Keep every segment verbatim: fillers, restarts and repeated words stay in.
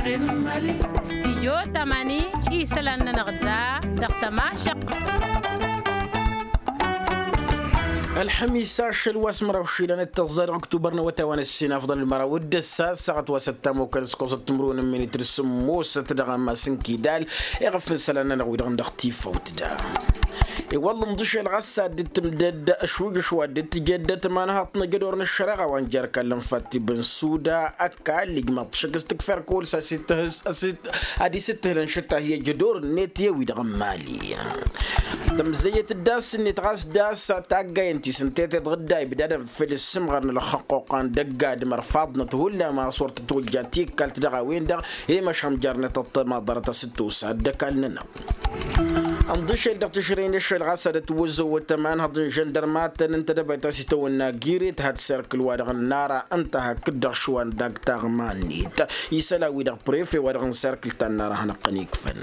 Stijyo tamani isălan-nănăɣ da dăɣ-tămašăq. Ălxămis ašăl wa s-măraw išilan d-tăẓẓa dăɣ-ăktubăr n-awătay wa n-ăssinafḍăn d-măraw d-ǝssa ăssaɣăt wa s-ăttamokăn s-kăwăsăt timǝrwen n-minităr sǝmmosăt dăɣ-amas n-kidal. Iɣăf n-isălan-nănăɣ wi-dăɣ n-dăɣ-tifawt da. I-wălla ǝnḍǝšel ɣas ad-dd-tǝmdăd ašwǝjǝš wa dd-tǝjăd tămanhaḍt n-ajădor n-ăššăreɣa wa n-jer-kallăn fatti bănsuda ăkall ijmaḍ-t šăkk s-tǝkfer kăwăl s-asǝttǝhǝl s-asǝttǝhǝl ad-isǝttǝhǝlăn šătta hi-ajădor-net i-wi-dăɣ n-mali. Tămzăyyăt d-ass-net ɣas d-ass taggayen ti s-ǝnta i-tiḍɣǝdda ibdadăn făll-ǝssǝmɣăr n-ălxăqquqa n-dăgg-adǝm ărfaḍnăt hullan ma s-wăr tătwăjja tikkalt dăɣ-a-wen-dăɣ i-măšham jer-net ăṭṭămaḍărăt a-s ǝttosa dd-ăkall-nănăɣ. Ănḍǝšel dăɣ-tišrăy n-ašăl ɣas ad-ătwăzzăwăt ămanhăḍ n-žăndărmatăn ǝnta dăbayt a-s itawănna giret had-serkǝl wa-dăɣ n-nara ǝnta hakd-dăɣ šwa n-dag taɣma-net. Isălan-wi-dăɣ prefe wa-dăɣ n-serkǝl ta n-nara hanăɣ-tăn-ikfăn.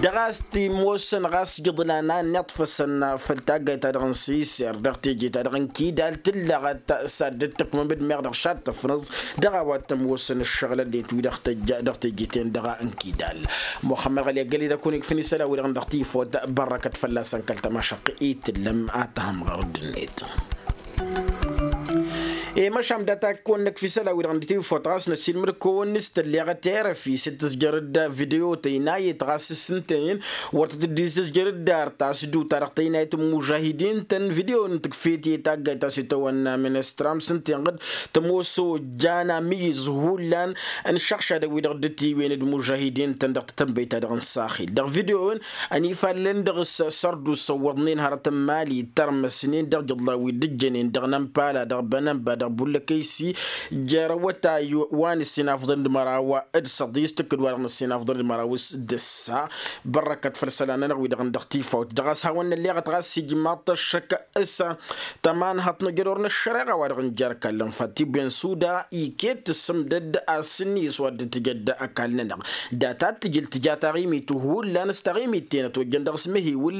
Dăɣ-a-s t-imoosăn ɣas jăḍlan a ănniḍfăsăn făll-taggayt-ta-dăɣ n-siser dăɣ-teje-ta-dăɣ n-kidal tǝllăɣăt s-ad-dd-tǝkmǝm d-meɣ dăɣ-šad tăfnăẓ dăɣ-a-wa t-ămoosăn ǝššăɣǝlăn-net wi dăɣ-teje-ten-dăɣ n-kidal. Muxămmăd ɣăli ăggăled ad-kăwăn-ikfăn isălan-wi-dăɣ n-dăɣ-tifot bărrăkăt fălla-săn kăl-tămašăq i-tǝllăm ad-tăhăm ɣur-dd-net. I-măšan data kăwăn-nǝkf isălan-wi-dăɣ n-tifot ɣas năssiilmăd-kăwăn s-tălleɣăt erăfi s-dd-tǝzjăr-dd video tăynayet ɣas s-ǝnta-en wăr tăt-dd-izzǝzjăr dd-ar tasdut-ta-dăɣ tăynayet n-mužahidin-tăn video n-tǝkfet i-taggayt ta s-itawănna ministram s-ǝnta-en ɣǝd tămoos ojjan amǝyyǝz hullan n-išăɣšadăn-wi-dăɣ dd-tiwǝyăn d-mužahidin-tăn dăɣ-tatănbăyt-ta-dăɣ n-saxil dăɣ-video-en. Ănifallen dăɣ-s sărdusa ǝwwăḍnen hărăt n-imali tărmăsnen dăɣ-ijǝḍlan wi dd-ǝjjănen dăɣ-nămpala dăɣ-bănănba dăɣ-bullăkăysi jer-awătay wa n-ǝssin afḍăn d-măraw d-săḍis tǝkkǝd wa dăɣ-nǝssin afḍăn d-măraw s-dăssa. Bărrăkăt făll-isălan-nănăɣ wi-dăɣ n-dăɣ-tifawt dăɣ-a-s hawăn-nălleɣăt ɣas ijmaḍ-t ăššăk s-tămanhăḍt n-ajădor n-ăššăreɣa wa dăɣ-nǝjăr ăkall n-făt ti-ben suda iket tǝssǝmdăd asǝnniyǝs wa dd-tǝjăd ăkall-nănăɣ. Data d-tǝjǝl tǝja taɣimit hullan s-taɣimit-ten ătwăjjăn dăɣ-s măhiwǝl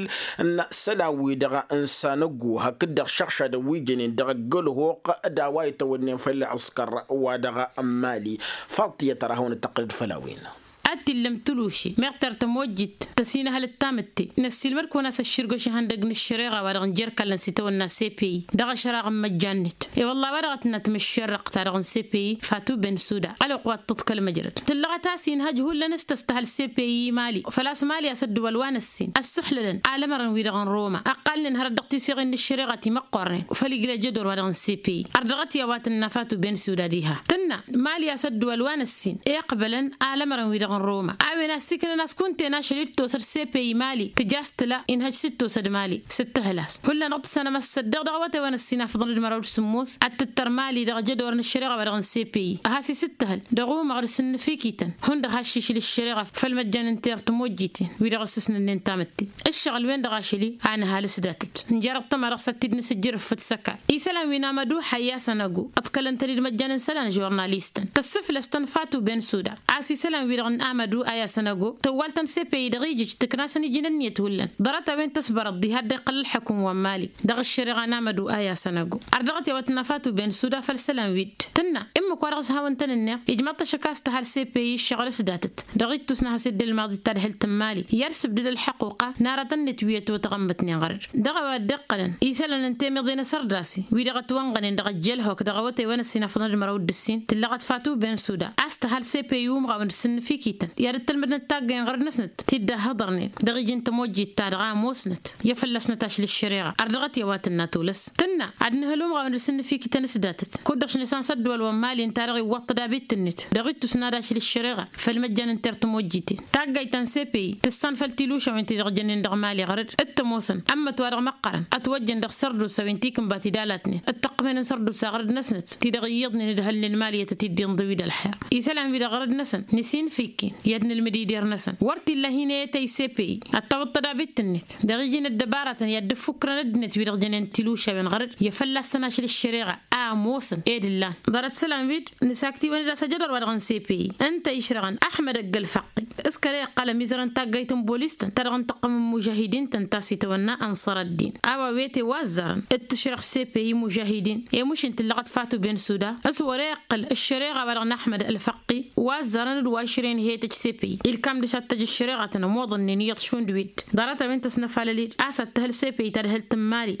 n-isălan-wi-dăɣ n-sanăggu hakd-dăɣ šăɣšadăn wi jănen dăɣ-ăggălhoq d-a-wa itawănnen făll-ăskăr wa dăɣ-n mali. Faḍt tiyyăt ar ad-hawăn-dd-tăqqǝlăd făll-a-wen. Ad-t-illăm tuluši meɣ tăr tămojjit tăsinăhăl d-tamǝtte. Năssiilmăd-kăwăn a-s ăšširgăš ihăndăg n-ăššăreɣa wa dăɣ-nǝjăr kallăn s-itawănna sepeyi dăɣ-ašăraɣ n-măjjan-net. I-wălla a-wa dăɣ-tǝnna tǝmǝššerrăɣt-ta-dăɣ n-sepeyi fatu ben suda ălwăqq wa t-tǝḍkăl măjrăd tǝllăɣăt a-s inhăj hullan s-tăstăhăl sepeyi imali. Făl-a-s mali a-s ăddǝwăl wa n-ǝssin ăssǝxlălăn alămărăn-wi-dăɣ n-roma ăqqalnen hărăt dăɣ-tiseɣen n-ǝššăreɣa ti măqqornen făll-ijlăj ădor wa dăɣ-n sepeyi. Ărdăɣăt i-a-wa tǝnna fatu ben suda diha tǝnna mali a-s ăddǝwăl wa n-ǝssin iqbălăn alămărăn-wi-dăɣ n-roma a-wen a ăssiiknăn a-s kunta-en ašăl-i d-tosăd sepeyi mali tǝja a-s tǝla inhăj s-dd-tosăd mali s-ǝttǝhǝl-as. Hullan dăɣ-tǝssanăm a-s săddeɣ dăɣ-awătay wa n-ǝssin afḍăn d-măraw d-sǝmmos ad-tǝttăr mali dăɣ-jădor n-ăššăreɣa wa dăɣ-n sepeyi a has-isǝttǝhǝl dăɣ-umăɣ d-asǝnnǝfikităn hundăɣ has-šišǝl ăššăreɣa făll-măjjan n-ter tămojjiten wi-dăɣ ăssăsnănnen tamǝtte. Ǝššăɣǝl-wen-dăɣ ašăl-i a nǝhal s-datăt nǝjar ăṭṭăma dăɣ-s ad-t-dd-nǝsǝjjǝr ǝffǝd s-ăkall isălan wi n-amădu hayya sănăgo ǝḍkălăn-tăn-dd măjjan n-isălan žurnalistăn tăssǝflăs-tăn fatu ben suda. A-s isălan-wi-dăɣ n-amădu aya sănăgo tăwwal-tăn sepeyi dăɣ-ijǝj tǝkna-săn iji n-ǝnniyăt hullan ḍarăt-a-wen tăsbărăḍ diha dd-iqqăl ălḥăkum wa n-mali dăɣ-ăššăreɣa n-amădu aya sănăgo. Ardăɣăt i-a-wa tǝnna fatu ben suda făll-isălan-wi-dd tǝnna ǝmmǝk wa dăɣ-s hawăn-tăn-ǝnneɣ ijmaḍ-t ašăk a-s tăhal sepeyi ǝššăɣǝl s-datăt dăɣ-ittus n-ad-has-dd-ălmaḍ ittadhǝlt n-mali i-ad-sǝbdǝd ălḥăquqa n-aratăn-net wi ătwătăɣămmătnen ɣăr-dd. Dăɣ-a-wa dd-iqqălăn isălan n-temiḍe n-asărdasi wi-dăɣ ătwănɣănen dăɣ-ăjjălhok dăɣ-awătay wa n-ăssinafăḍăn d-măraw d-ǝssin tǝllăɣăt fatu ben suda a-s tăhal sepeyi umɣawen d-sǝnnǝfikităn i-ad-ăttălmădnăt taggăyăn ɣăr-dd-năsnăt ti dd-ăhhăḍărnen dăɣ-iji n-tămojjit-ta-dăɣ a ămoosnăt i-ad-fălla-snăt ašli ăššăreɣa. Ardăɣăt i-a-wa tǝnna tolăs tǝnna ad-nǝhǝl umɣawen d-sǝnnǝfikităn s-datăt kud-dăɣ šăn isansa ăddăwăl wa n-mali ǝnta-dăɣ iwwăṭṭăd abit-net dăɣ-ittus n-ad-ašli ăššăreɣa făll-măjjan n-ter tămojjiten. Taggayt ta n-sepeyi tǝssan făll-tilušawen ti-dăɣ jănnen dăɣ-mali ɣăr-dd d-tămoosăn ămmăt-wa-dăɣ măqqărăn ătwăjjăn dăɣ-sărdusa wi n-tikǝnba ti d-alatnen d-tăqqǝmen n-sărdusa ɣăr-dd-năsnăt ti-dăɣ iyyăḍnen d-hălnen mali i-tăt-dd-inḍǝw-dd ălḥer. Isălan-wi-dăɣ ɣăr-dd-năsăn nǝsinfikki i-ad-nǝlmǝd ider-năsăn wăr t-illa hin-e-tăy sepe-i ad-tawǝḍ tădabit-net dăɣ-iji n-ăddăbaratăn i-ad-dd-ǝffukkrăn ăddinăt wi-dăɣ jănen tilušawen ɣăr-dd i-fălla-săn ašăl ăššăreɣa a ămoosăn ed ǝllan. Ḍarăt isălan wi-dd nǝsaktiwăn-dd a-s ajădor wa dăɣ-nǝsepe-i ǝnta išrăɣăn ăḥmăd ăgg-ălfăqqi s-kăla iqqăl ămizărăn taggayt n-bolis-tăn ta dăɣ-nǝtăqqăm n-imužahidin-tăn ta s-itawănna ănṣăr ăddin a-wa wete wa ăzzarăn d-tǝšrăɣ sepe-i imužahidin i-mušin tǝllăɣăt fatu ben suda s-wăr-e iqqǝl ăššăreɣa wa dăɣ-năḥmăd ălfăqqi wa ăzzarăn d-wa išrăyăn hetăj sepe-i ilkam dăr-s ad-tăj ăššăreɣa tăn-ămoḍănnen iyyăḍ šund wi-dd ḍarăt-a-wen tăsnăfalăl-dd a-s ad-tăhǝl sepe-i tadhǝlt n-imali.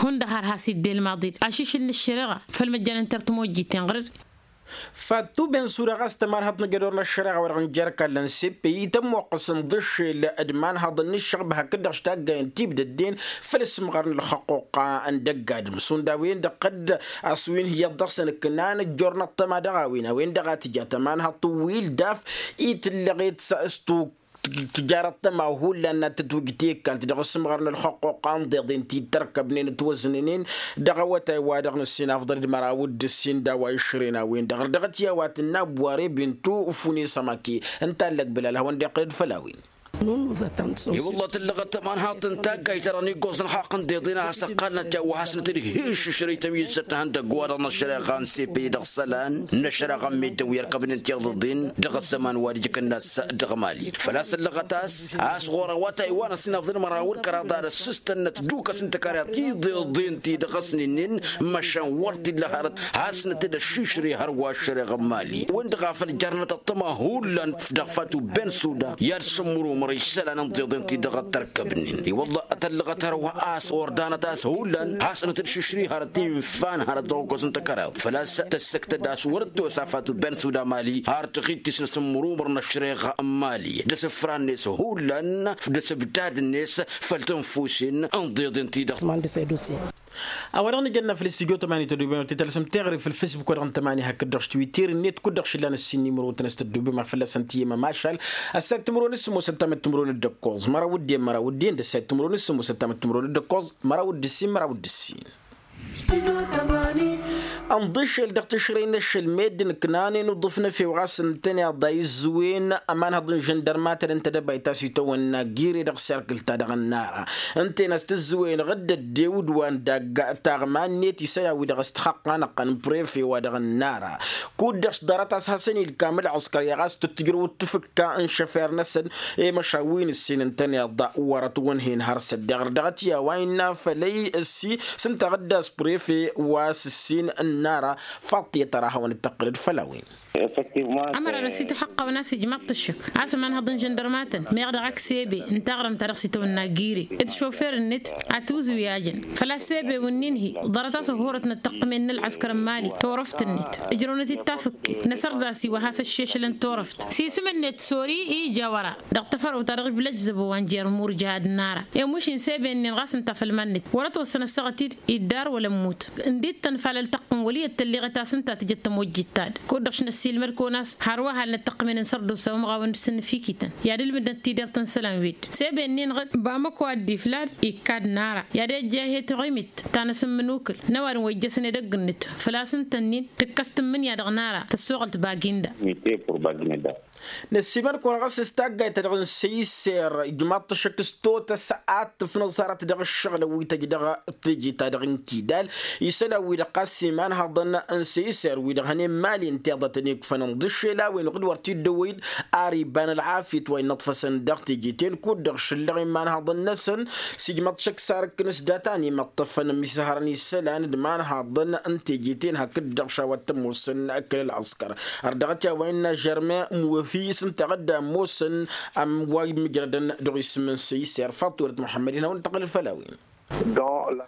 Hundăɣ har has-idde ălmaḍi-dd ašišǝl n-ăššăreɣa făll-măjjan n-tertmojjiten ɣăr-dd. Fattu ben suda ɣas tămanhăḍt n-ajădor n-ăššăreɣa wa dăɣ-nǝjărkallăn seppe-i tămmoqqăs ǝnḍǝššel d-imanhăḍăn n-ǝššăɣb hakd-dăɣ s-taggayăn tibdădden făll-ǝssǝmɣar n-ălxăqquqqa n-dăgg-adǝm šund a-wen-dăɣ ɣǝdd a-s wi n-hi-iyyăḍ dăɣ-săn ǝknan ǝjjornăt tăma dăɣ-a-wen a-wen-dăɣ a tǝja tămanhăḍt n-wi ǝldaf i-tǝllăɣet s-tuk tǝjarăt tăma hullan n-ad-tǝtwǝjt i-ǝkkalt dăɣ-ǝssǝmɣar n-ălxăqquqqa n-iḍeḍen ti dd-tărkăbnen ǝtwăznănen dăɣ-awătay wa dăɣ-nǝssin afḍăl d-măraw d-ǝssin d-a-wa išrăyăn a-wen-dăɣ ărdăɣăt i-a-wa tǝnna ăbbuware bintu fune sămake. Ǝnta allăg bǝlal hawăn-dd-iqqǝl d-făll-a-wen. I-wălla tǝllăɣăt tămanhaḍt n-taggayt-ta-dăɣ n-iggoẓ n-ixaqq n-iḍeḍen a has-ăqqalnăt i-a-wa hasnăt-dd hi-išǝšrăy tămyǝzzăt n-ihăndăgg-wa-dăɣ n-ăššăreɣa n-sepe-i dăɣ-isălan n-ăššăreɣa n-meddǝn wi ărkăbnen tiḍǝḍen dăɣ-ăzzăman wa d-ijkǝnna ass dăɣ-mali făl-a-s ăllăɣăt a-s a-s ɣur-awătay wa n-ăssinafḍăn măraw d-kăraḍ ad-ăssǝstănnăt dukăs n-tăkaryaḍ tiḍeḍen ti dăɣ-s nǝnnin măšan wăr t-illa hărăt hasnăt-dd ăššišrǝy hărwa ăššăreɣ n-mali. Win-dăɣ a făl jarnăt ăṭṭăma hullan dăɣ-fatu ben suda i-ad-sǝmmărumăr isălan n-tiḍeḍen ti dăɣ-tărkăbnen i-wălla tăllăɣăt hărwa a-s ordanăt a-s hullan hasnăt-dd šišrǝy hărăt infan hărăt dăɣ-okos n-tăkaryaḍ făl-a-s tăssăktăd a-s wăr-dd-tosa fatu ben suda mali har tăɣit-t-s n-asǝmmărumăr n-ăššăreɣa n-mali d-asǝfra-net hullan d-asǝbdad-net făll-tănfusen n-tiḍeḍen ti dăɣ-s. A-wa dăɣ-nǝjănna făll-istudyo tămani tăddoben wăr t-talsăm teɣăre făll-facebook wa dăɣ-n tămani hakd-dăɣ s-twitter-net kud-dăɣ šillan ǝssin n-imrotăn a-s tăddobem a fălla-săn tiyyăm ămašal. Ăssayăt timǝrwen s-sămoosăt tamăt timǝrwen d-ǝkkoẓ măraw d-en măraw d-en d-ăssayăt timǝrwen s-sămoosăt tamăt timǝrwen d-ǝkkoẓ măraw d-ǝssin măraw d-ǝssin. Ănḍǝšel dăɣ-tǝšrăy n-ašăl meddǝn ǝknanen uḍǝf n-efew ɣas ǝntăneḍ a izǝwen ămanhăḍ n-žăndărmatăn ǝnta d-ăbayt a-s itawănna gire dăɣ-serkǝl-ta-dăɣ ănnara ǝnta-en a-s tǝzzǝwen ɣǝdd ăddew d-wa n-dagg taɣma-net isălan-wi-dăɣ s-tixăqqanăɣ-tăn n-prefe wa dăɣ-ănnara. Kud-dăɣ s-ḍarăt a-s hasăn-ilkam ălɣǝskăr i-ɣas tǝttǝjrăw d-tǝfǝkka n-šăfer-năsăn i-măšan wi n-ǝssin ǝntăneḍ wăr-ătwănhen har săddeɣ ărdăɣăt i-a-wa innă fălăy ǝssi s-ǝnta ɣǝddas prefe wa s-ǝssin ănnara. Faḍt i-ad-tăra hawăn-dd-tăqqǝlăd făll-a-wen. Ămăra n-ăsităxăqqăwăn a-s ijmaḍ-t ǝššǝk a-s ămanhăḍ n-žăndărmatăn meɣ dăɣ-ak sebe n-taɣrǝmt ta dăɣ-s itawănna gire d-šofer-net. Ătwǝzwǝyajăn făl-a-s sebe wǝnnin-hi ḍarăt a-s ăhhurăt n-ăṭṭăqqǝmen n-ălɣăskăr n-mali turăft-net ǝjrăwnăt-dd tafǝkke năsărdas-i wa has-ăššešălăn turăft s-isǝm-net sori ija wăra dăɣ-tafărăwt ta dăɣ-iblăjzăbo wa n-jer-murjad n-ara. I-mušin sebe-nin ɣas ǝnta făll-iman-net wăr-ătwăssăn ăssaɣăt-dd iddar wăla ămmut. Ǝndit-tăn fal ăltăqqǝn wăl' iyyăt tălleɣet a-s ǝnta tǝjăt tămojjit-ta-dd kud-dăɣ š-năssiilmăd kăwăn-as hărwa hal n-ăṭṭăqqǝmen n-sărdusa umɣawen d-sǝnnǝfikităn i-ad-ǝlmǝdnăt tidert n-isălan-wi-dd. Sebe-nin-dăɣ bamăko ad-dd-iflad ikkad n-ara i-ad-ejja he-taɣimit ta n-asǝmmǝnukǝl n-ăwadǝm wa ijjăsăn edăgg-net. Făl-a-s ǝnta-nin tǝkkăs tǝmmǝnǝya dăɣ-nara tăssoɣălt baginda. Năssiimăn-kăwăn ɣas s-taggayt-ta-dăɣ n-săyser ijmaḍ-t ăššăk s-totăs ad-tǝfnăẓarăt dăɣ-ǝššăɣǝlăn wi tăjj dăɣ-teje-ta-dăɣ n-kidal isălan-wi-dăɣ ɣas imanhăḍăn n-săyser-wi-dăɣ hănen mali n-tiḍătăn ikfăn ǝnḍǝššel a-wen ɣǝd wăr t-dd-ăwwăy-dd ar iba n-ălɣafyăt wa innăṭfăsăn dăɣ-teje-ten kud-dăɣ šǝllăɣ imanhăḍăn-năsăn. S-ijmăḍ šăkk sarǝkkăn s-data n-imăṭṭăfăn ămmisǝhărăn isălan d-imanhăḍăn n-teje-ten hakd-dăɣ šawăt tămoosăn kăl-ălɣăskăr. Ărdăɣăt i-a-wa innă žărme muwăfi s-ǝnta ɣǝdda ămoosăn ămm wa immǝjrădăn dăɣ-isǝm n-săyser faḍt wăr-dd muḥămmăd-in hawăn-dd-tăqqǝlăd făll-a-wen.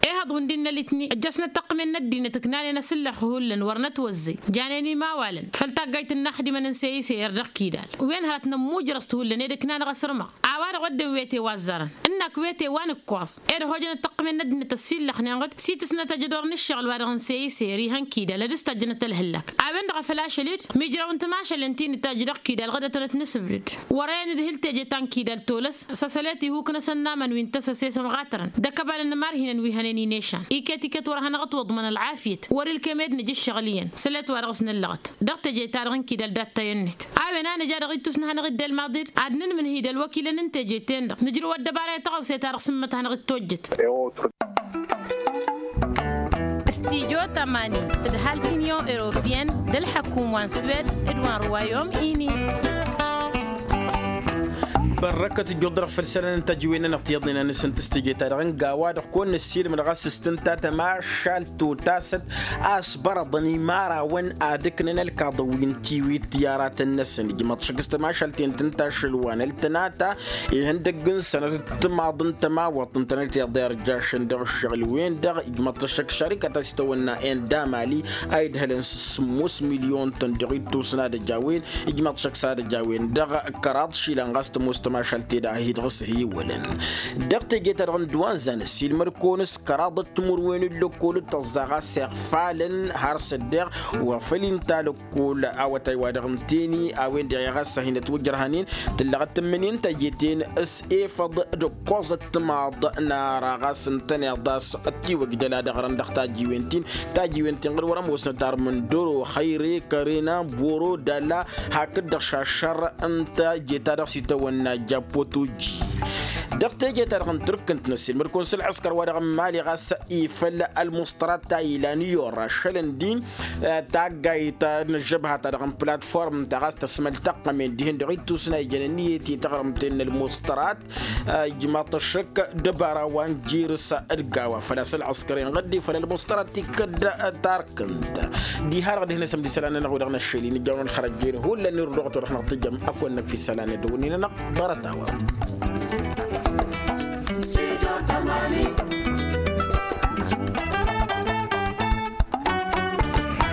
Ehăḍ wǝndin n-alitni ăjjăsnăt tăqqǝmen n-ăddinăt ǝknanen asǝllax hullan wăr nătwăzzăy janen imawalăn făll-taggayt n-inaxdimăn n-săyser dăɣ-kidal. Wen hărăt nămmujrăẓ-t hullan ed ǝknanăɣ asărmăɣ a-wa-dăɣ wădden wete wa ăzzarăn ǝnnak wete wa n-ǝkkoẓ ed ăhojăn ăṭṭăqqǝmen n-ăddinăt ăssillăxnen-ɣ-dd s-itǝsnăt ajădor n-ǝššăɣǝl wa dăɣ-n săyser ihăn kidal ad-ǝstajjănăt ălhǝllak. A-wen-dăɣ a făl ašăl-dd mijraw n-timašalen ti nǝtajj dăɣ-kidal ɣǝdătăn ad-t-nǝsǝbdǝd. Wăr-e-nǝdhǝl teje ta n-kidal tolăs s-asălet ihuk-năsăn n-aman wi n-tăsăse s-ămɣatărăn d-ăkăbal n-imărhinăn wi. hănen inešan iket-iket wăr-hanăɣ-ătwăḍmăn ălɣafyăt wăr-ilkem ed nǝj ǝššăɣǝl iyyăn. Sălet-wa-dăɣ s-nǝllăɣăt dăɣ-teje-ta-dăɣ n-kidal dat-tayănnet a-wen a nǝja dăɣ-ittus n-ad-hanăɣ-iddel maḍid ad-nǝnmǝnhǝy d-ălwăkilăn n-teje-ten-dăɣ nǝjrǝw ăddăbara i-tăɣawse-ta-dăɣ s-ǝmmǝt ad-hanăɣ-dd-tojjăt. Studio tămani d-halk union européenne d-ălḥăkum wa n-swed d-wa n-ruwayom ini. Bărrăkăt ǝjjuḍ-dăɣ făll-isălan n-tajiwen-nănăɣ tiyyăḍnen a nǝsǝnt s-teje-ta-dăɣ n-gawa-dăɣ kăwăn-năssiilmăd ɣas s-tǝnta tămašalt totasăt a ăsbărăḍăn imarawăn ad-ǝknăn ălkaḍăn wi n-tiwit i-aratăn-năsăn ijmăḍ šăkk s-tămašalt-en tǝnta ašăl-wa n-ăltănata ihăndăgg n-sănătăt timaḍ n-tămawăḍt ǝntănăt iḍerjašăn dăɣ-ǝššăɣǝl-wen-dăɣ ijmăḍ-t ăššăk šărikăt a s-itawănna enda mali a idhălăn s-sǝmmos milyon-tăn dăɣ-ittus n-ad-ăj a-wen ijmăḍ-t šăkk s-ad-ăj a-wen dăɣ-kăraḍ išilan ɣas tămoos tămašalt-e-dăɣ a hi-dăɣ s-hewălăn. Dăɣ-teje-ta-dăɣ n-dd-wa n-zan ăssiilmăd kăwăn-s kăraḍăt timǝrwen n-lăkkol d-tăẓẓa ɣas iɣfalăn har s-ăddeɣ wa făl inta lăkkol awătay-wa-dăɣ n-teni a-wen-dăɣ i-ɣas a hin-ătwăjrăhăn-in. Tǝllăɣăt tǝmmǝnen taje-ten s-efăḍ d-ǝkkoẓăt timaḍ n-ara ɣas ǝntăneḍ a-s ăttiwăj dăla d-aɣrăn dăɣ-tajiwen-tin. Tajiwen-tin ɣǝr wăr-ămoosnăt armǝn doro xăyre kărena boro dăla hakd-dăɣ šašăr n-taje-ta-dăɣ s-itawănna jappotoji. Dăɣ-teje-ta-dăɣ n-tǝrkǝnt n-ăssiilmăd-kăwăn s-ălɣǝskăr-wa-dăɣ n-mali ɣas ifăl ălmuṣṭărat ta ilan i-orra šălăn din taggayt n-ăžžăbha-ta-dăɣ n-platform ta ɣas tăsmăl tăqqămen dihen dăɣ-ittus n-a ijăn ǝnniyăt i-taɣrǝmt-en n-ălmuṣṭărat. Ijmaḍ-t ăššăk dăbara wa n-jirǝs d-gawa făl-a-s ălɣǝskăr inɣăddi făll-ălmuṣṭărat tikkăd tarkǝnt. Diha-dăɣ dihen-asăm d-isălan-nănăɣ wi-dăɣ năššăl-in ijawăn ălxărăjjen hullan irduɣăt wa dăɣ-năɣ tǝjjăm. Ăkk-wănnăk fi isălan-nădăɣ wǝnnin-nănăɣ ḍarăt-a-wa.